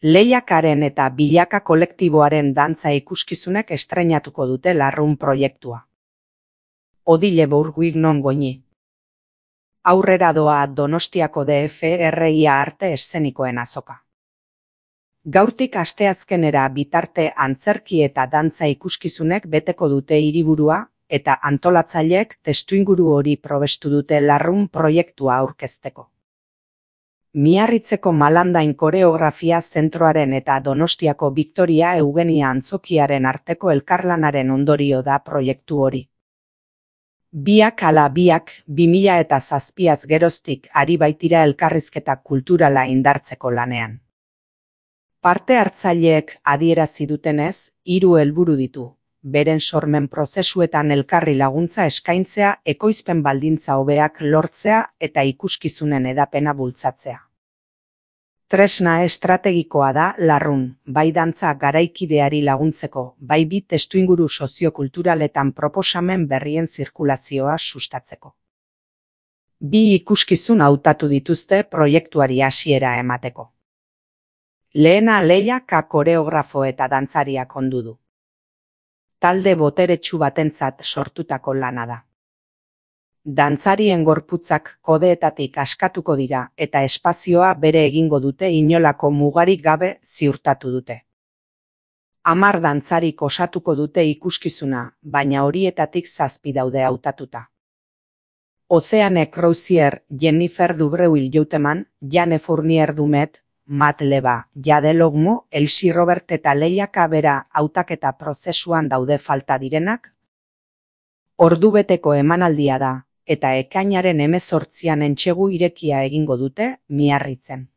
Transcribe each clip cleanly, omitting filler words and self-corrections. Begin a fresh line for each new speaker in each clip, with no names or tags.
Lehiakaren eta Bilaka kolektiboaren dantza ikuskizunek estreinatuko dute Larrun proiektua. Odile Bourguignon Goñi. Aurrera doa Donostiako DFRIA arte eszenikoen azoka. Gaurtik asteazkenera bitarte antzerki eta dantza ikuskizunek beteko dute hiriburua eta antolatzaileek testuinguru hori probestu dute Larrun proiektua aurkezteko. Miarritzeko Malandain koreografia zentroaren eta Donostiako Victoria Eugenia Antzokiaren arteko elkarlanaren ondorio da proiektu hori. Biak ala biak 2007 geroztik ari baitira elkarrizketa kulturala indartzeko lanean. Parte hartzaileek adierazi dutenez, 3 helburu ditu. Beren sormen prozesuetan elkarri laguntza eskaintzea, ekoizpen baldintza hobeak lortzea eta ikuskizunen hedapena bultzatzea. Tresna estrategikoa da Larrun, bai dantza garaikideari laguntzeko, bai bi testuinguru soziokulturaletan proposamen berrien zirkulazioa sustatzeko. 2 ikuskizun hautatu dituzte proiektuari hasiera emateko. Lehena Leia K koreografo eta dantzariak ondu du. Talde boteretsu batentzat sortutako lana da. Dantzarien gorputzak kodeetatik askatuko dira eta espazioa bere egingo dute inolako mugarik gabe ziurtatu dute. 10 dantzarik osatuko dute ikuskizuna, baina horietatik 7 daude hautatuta. Oceane Crozier, Jennifer Dubreuil-Jouteman, Jane Fournier Dumet, Matt Leba, Jade Logmo, Elsie Robert eta Leia K bera hautaketa prozesuan daude falta direnak. Ordubeteko emanaldia da, eta ekainaren 18an entsegu irekia egingo dute Miarritzen.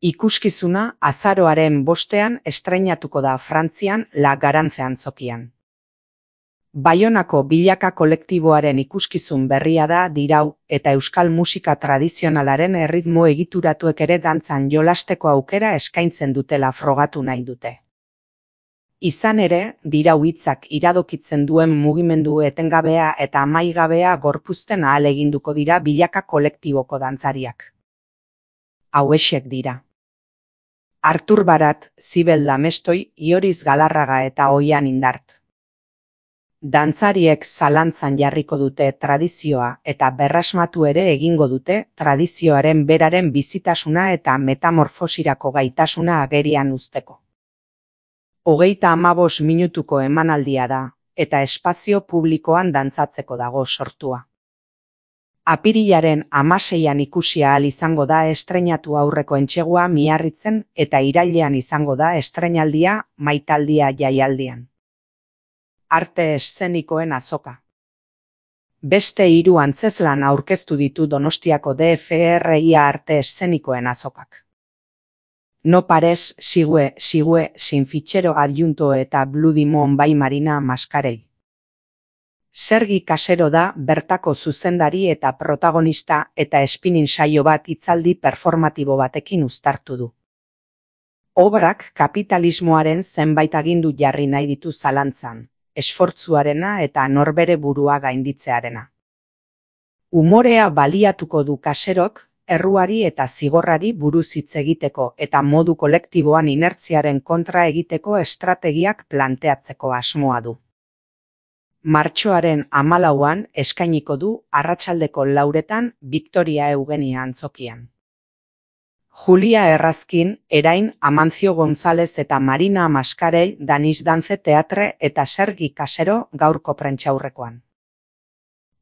Ikuskizuna azaroaren 5ean estreinatuko da Frantzian La Garance antzokian. Baionako Bilaka kolektiboaren ikuskizun berria da dirau eta euskal musika tradizionalaren erritmo egituratuek ere dantzan jolasteko aukera eskaintzen dutela frogatu nahi dute. Izan ere, dirau hitzak iradokitzen duen mugimendu etengabea eta amaigabea gorpuzten ahaleginduko dira Bilaka kolektiboko dantzariak. Hauexek dira. Artur Barat, Zibel Damestoi, Ioriz Galarraga eta Oian Indart. Dantzariek zalantzan jarriko dute tradizioa eta berrasmatu ere egingo dute tradizioaren beraren bizitasuna eta metamorfosirako gaitasuna agerian uzteko. 35 minutuko emanaldia da, eta espazio publikoan dantzatzeko dago sortua. Apirilaren 16an ikusi ahal izango da estreinatu aurreko entsegua Miarritzen eta irailean izango da estreinaldia Maitaldia jaialdian. Arte eszenikoen azoka. Beste 3 antzezlan aurkeztu ditu Donostiako DFRIA arte eszenikoen azokak. No pares, Sigue, Sin Fichero Adjunto eta Bloody Moon bai Marina Mascarell. Sergi Kasero da bertako zuzendari eta protagonista eta spinning saio bat hitzaldi performatibo batekin uztartu du. Obrak kapitalismoaren zenbait agindu jarri nahi ditu zalantzan, esfortzuarena eta norbere burua gainditzearena. Umorea baliatuko du Kaserok, erruari eta zigorrari buruz hitz egiteko eta modu kolektiboan inertziaren kontra egiteko estrategiak planteatzeko asmoa du. Martxoaren 14an eskainiko du arratsaldeko 4etan Victoria Eugenia antzokian. Julia Errazkin, Erain, Amancio González eta Marina Mascarell Danish Dance Teatre eta Sergi Kasero gaurko prentsaurrekoan.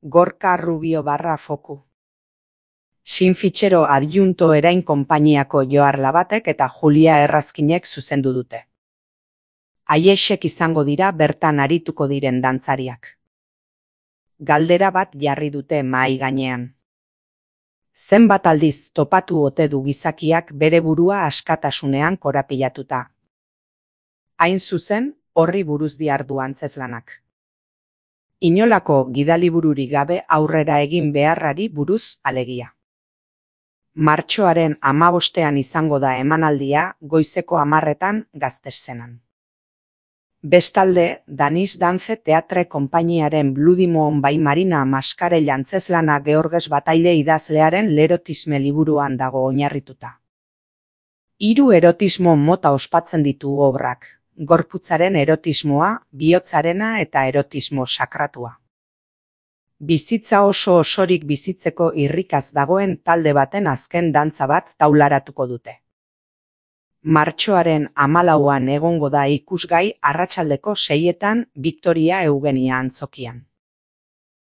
Gorka Rubio /Foku. Sin Fichero Adjunto Erain konpainiako Joar Labatek eta Julia Errazkinek zuzendu dute. Haiexek izango dira bertan arituko diren dantzariak. Galdera bat jarri dute mahai gainean. Zenbat aldiz topatu ote du gizakiak bere burua askatasunean korapilatuta. Hain zuzen, horri buruz dihardu antzezlanak. Inolako gidalibururik gabe aurrera egin beharrari buruz alegia. Martxoaren 15ean izango da emanaldia goizeko 10etan Gazteszenan. Bestalde, Danish Dance Teatre konpainiaren Bloody Moon bai Marina Mascarell antzezlana Georges Bataille idazlearen Lerotisme liburuan dago oinarrituta. Hiru erotismo mota ospatzen ditu obrak: gorputzaren erotismoa, bihotzarena eta erotismo sakratua. Bizitza oso osorik bizitzeko irrikaz dagoen talde baten azken dantza bat taularatuko dute. Martxoaren 14an egongo da ikusgai arratsaldeko 6etan Victoria Eugenia antzokian.